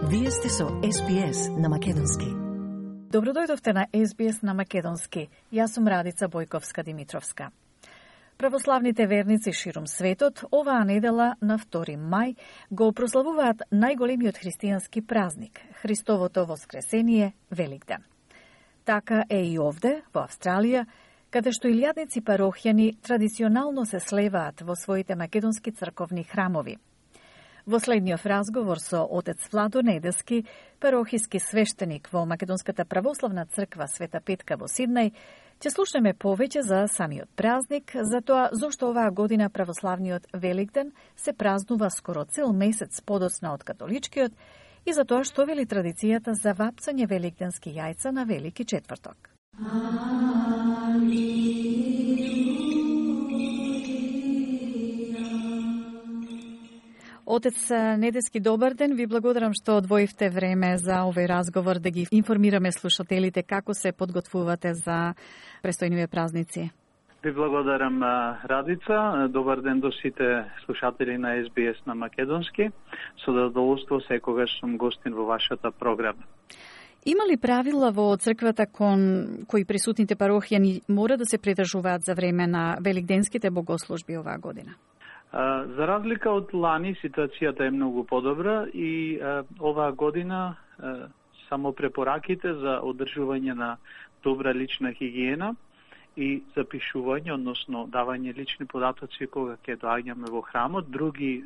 Вие сте со SBS на Македонски. Добродојдовте на SBS на Македонски. Јас сум Радица Бојковска-Димитровска. Православните верници ширум светот оваа недела на 2 мај го прославуваат најголемиот христијански празник – Христовото воскресение Великден. Така е и овде, во Австралија, каде што илјадници парохјани традиционално се слеваат во своите македонски црковни храмови. Во следниот разговор со отец Владо Недески, парохиски свештеник во Македонската православна црква Света Петка во Сиднеј, ќе слушнеме повеќе за самиот празник, за тоа зошто оваа година православниот Великден се празнува скоро цел месец подоцна од католичкиот и за тоа што вели традицијата за вапцање великденски јајца на Велики четврток. Отец Недески, добар ден. Ви благодарам што одвоивте време за овој разговор да ги информираме слушателите како се подготвувате за престојниве празници. Ви благодарам, Радица. Добар ден до сите слушатели на SBS на Македонски. Со задоволство секогаш сум гостин во вашата програма. Има ли правила во црквата кон кои присутните парохјани мора да се придржуваат за време на великденските богослужби оваа година? За разлика од лани, ситуацијата е многу подобра и оваа година само препораките за одржување на добра лична хигиена и запишување, односно давање лични податоци кога ќе доаѓаме во храмот. Други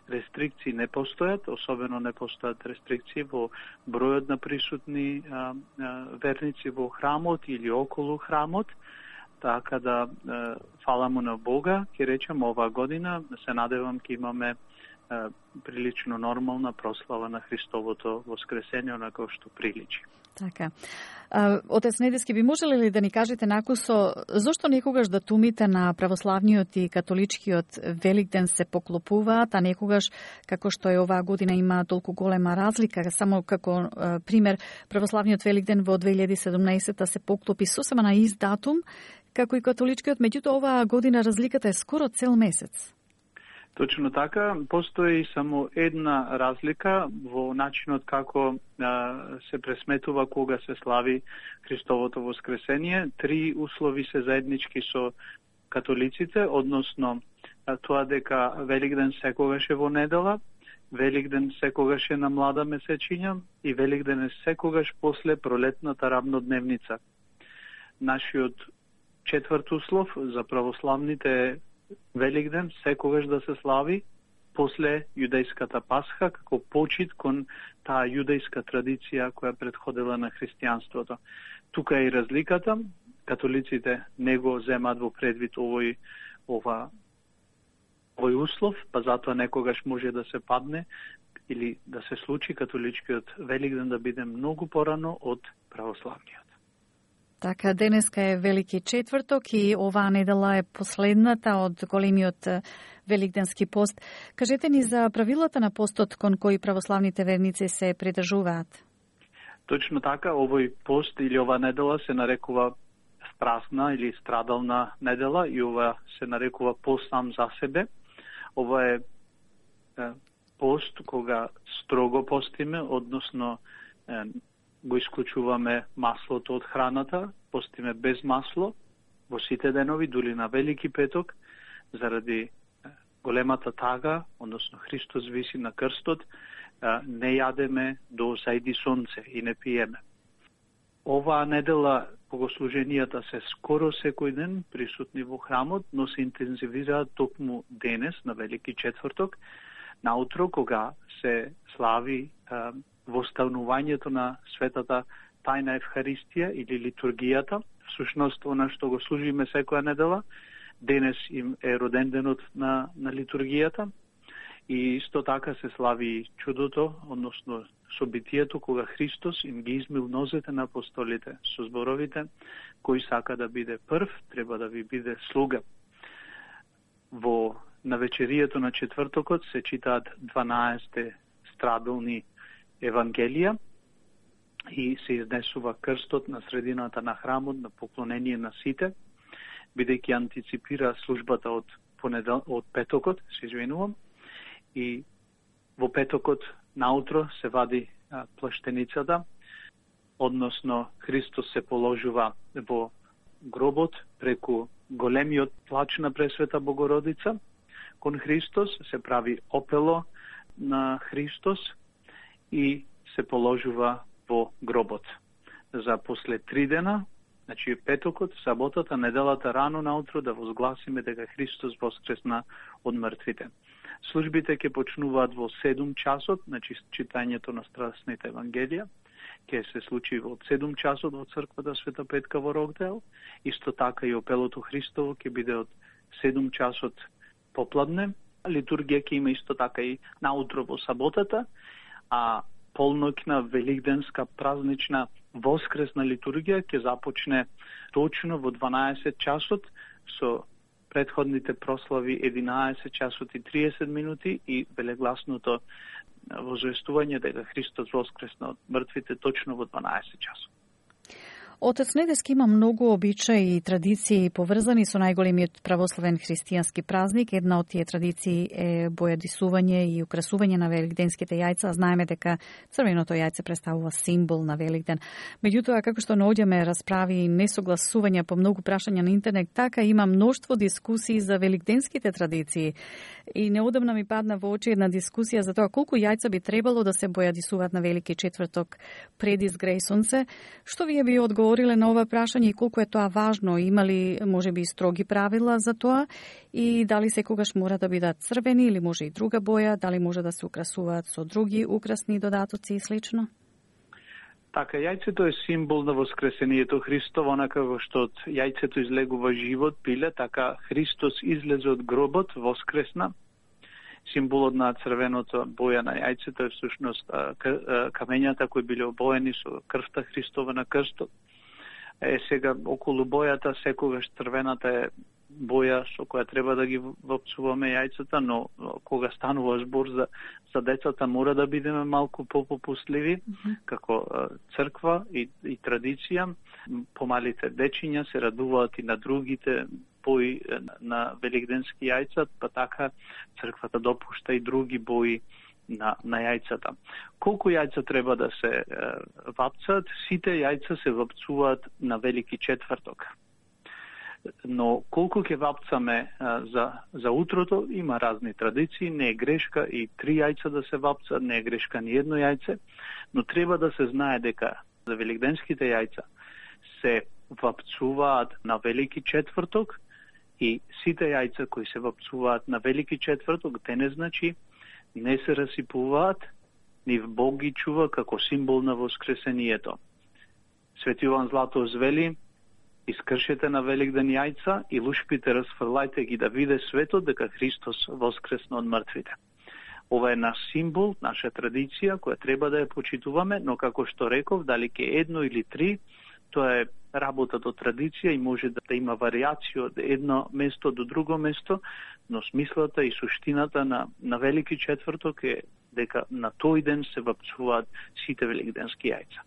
рестрикции не постојат, особено не постојат рестрикции во бројот на присутни верници во храмот или околу храмот. Така да, фала му на Бога, ќе речем, оваа година се надевам ќе имаме прилично нормална прослава на Христовото воскресение, онако што приличи. Така. Отец Недески, би можеле ли да ни кажете накусо зошто некогаш датумите на православниот и католичкиот Великден се поклопуваат, а некогаш, како што е оваа година, има толку голема разлика? Само како пример, православниот Великден во 2017 се поклопи сосема на ист датум, како и католичкиот, меѓутоа оваа година разликата е скоро цел месец. Точно така, постои само една разлика во начинот како се пресметува кога се слави Христовото воскресение. 3 услови се заеднички со католиците, односно тоа дека Великден секогаш е во недела, Великден секогаш е на млада месечиња и Великден е секогаш после пролетната равнодневница. Нашиот четврт услов за православните Великден секогаш да се слави после јудејската Пасха, како почит кон таа јудејска традиција која предходила на христијанството. Тука е и разликата. Католиците не го земат во предвид овој услов, па затоа некогаш може да се падне или да се случи католичкиот Великден да биде многу порано од православниот. Така, денеска е Велики четврток и оваа недела е последната од големиот великденски пост. Кажете ни за правилата на постот кон кои православните верници се придржуваат. Точно така, овој пост или оваа недела се нарекува страсна или страдална недела и ова се нарекува пост сам за себе. Ова е пост кога строго постиме, односно го исклучуваме маслото од храната, постиме без масло во сите денови, дури на Велики петок, заради големата тага, односно Христос виси на крстот, не јадеме до зајди сонце и не пиеме. Оваа недела богослуженијата се скоро секој ден присутни во храмот, но се интензивираат токму денес, на Велики четврток, наутро кога се слави востанувањето на светата тајна Евхаристија или литургијата. Всушност, она што го служиме секоја недела, денес им е роден денот на литургијата и исто така се слави чудото, односно собитието кога Христос им ги измил нозете на апостолите со зборовите: кој сака да биде прв, треба да ви биде слуга. Во навечерието на четвртокот се читаат 12 страдални Евангелија и се изнесува крстот на средината на храмот на поклонение на сите, бидејќи антиципира службата од петокот, се извинувам, и во петокот наутро се вади плаштеницата, односно Христос се положува во гробот преку големиот плач на Пресвета Богородица. Кон Христос се прави опело на Христос и се положува во гробот. За после 3 дена, значи петокот, саботата, неделата рано наутро да возгласиме дека Христос воскресна од мртвите. Службите ќе почнуваат во 7 часот, значи читањето на страстните евангелија ќе се случи во 7 часот во црквата Света Петка во Рокдел. Исто така и опелото Христово ќе биде од 7 часот попладне. Литургија ќе има исто така и наутро во саботата, а полноќна великденска празнична воскресна литургија ќе започне точно во 12 часот со предходните прослави 11 часот и 30 минути и велегласното возвестување дека Христос воскресна од мртвите точно во 12 часот. Отец Недески има многу обичаи и традиции поврзани со најголемиот православен христијански празник. Една од тие традиции е бојадисување и украсување на великденските јајца. Знаеме дека црвеното јајце представува символ на Великден. Меѓутоа, како што наоѓаме расправи и несогласувања по многу прашања на интернет, така има мноштво дискусии за великденските традиции. И неодамна ми падна во очи една дискусија за тоа колку јајца би требало да се бојадисуваат на Велики четврток пред изгреј сонце. Што вие би одговориле на ова прашање и колку е тоа важно? Има ли можеби строги правила за тоа и дали секогаш мора да бидат црвени или може и друга боја, дали може да се украсуваат со други украсни додатоци и слично? Така, јајцето е символ на воскресението Христово, онака како што од јајцето излегува живот, пиле, така Христос излезе од гробот, воскресна. Символот на црвеното боја на јајцето е всушност камењата кои биле обоени со крвта Христова на крстот. Сега околу бојата секогаш црвената е боја со која треба да ги вопцуваме јајцата, но кога станува збор за децата мора да бидеме малку попопустливи, како црква и традиција. Помалите дечиња се радуваат и на другите бои на великденски јајца, па така црквата допушта и други бои на јајцата. Колку јајца треба да се вапцат? Сите јајца се вапцуваат на Велики четврток. Но колку ќе вапцаме за утрото, има разни традиции, не е грешка и 3 јајца да се вапцат, не е грешка ни едно јајце, но треба да се знае дека за великденските јајца се вапцуваат на Велики четврток и сите јајца кои се вапцуваат на Велики четврток, те не значи не се расипуваат, нив Бог ги чува како символ на воскресението. Свети Јован Златоуст вели: искршете на Великден јајца и лушпите расфрлајте ги да виде светот дека Христос воскресна од мртвите. Ова е наш символ, наша традиција која треба да ја почитуваме, но како што реков, дали ке 1 или 3, тоа е работа до традиција и може да има варијација од едно место до друго место, но смислата и суштината на Велики четврток е дека на тој ден се вапцуваат сите великденски јајца.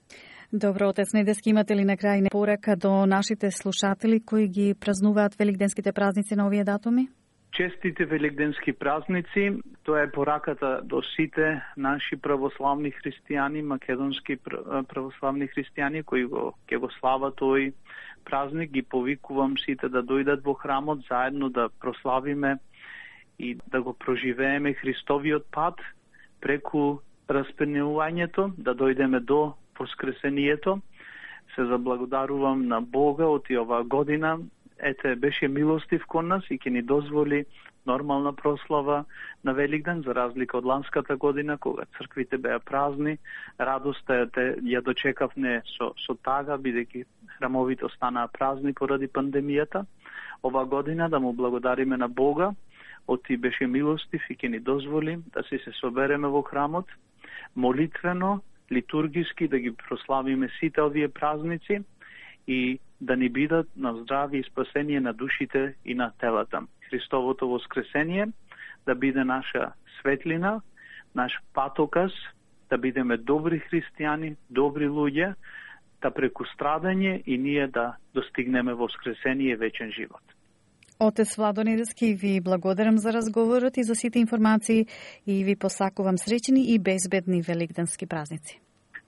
Добро, отец Недески, имате ли на крај порака до нашите слушатели кои ги празнуваат великденските празници на овие датуми? Честите великденски празници, тоа е пораката до сите наши православни христијани, македонски православни христијани кои ќе го слават тој празник. Ги повикувам сите да дојдат во храмот заедно да прославиме и да го проживееме Христовиот пат преку распенувањето, да дојдеме до воскресението. Се заблагодарувам на Бога од оваа година. Ете, беше милостив кон нас и ќе ни дозволи нормална прослава на Великден, за разлика од ланската година, кога црквите беа празни. Радоста ја дочекавме со тага, бидејќи храмовите останаа празни поради пандемијата. Ова година да му благодариме на Бога, оти беше милостив и ќе ни дозволи да се собереме во храмот, молитвено, литургиски, да ги прославиме сите овие празници и да ни бидат на здравје и спасение на душите и на телата. Христовото воскресение да биде наша светлина, наш патоказ, да бидеме добри христијани, добри луѓе, да преку страдање и ние да достигнеме воскресение и вечен живот. Отец Владо Неделски, ви благодарам за разговорот и за сите информации и ви посакувам среќни и безбедни великденски празници.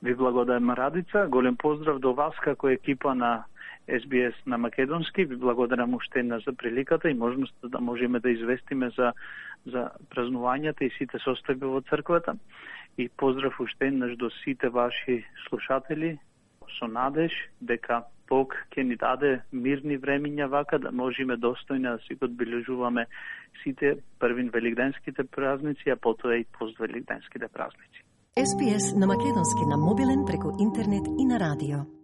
Ви благодарам, Радица. Голем поздрав до вас како екипа на SBS на македонски. Ви благодарам уште една за приликата и можноста да можеме да известиме за празнувањата и сите состојби во црквата. И поздрав уште еднаш до сите ваши слушатели со надеж дека Бог ќе ни даде мирни времиња вака да можеме достојно да си го одбележуваме сите првин великденските празници, а потоа и поствеликденските празници. SBS на македонски на мобилен преку интернет и на радио.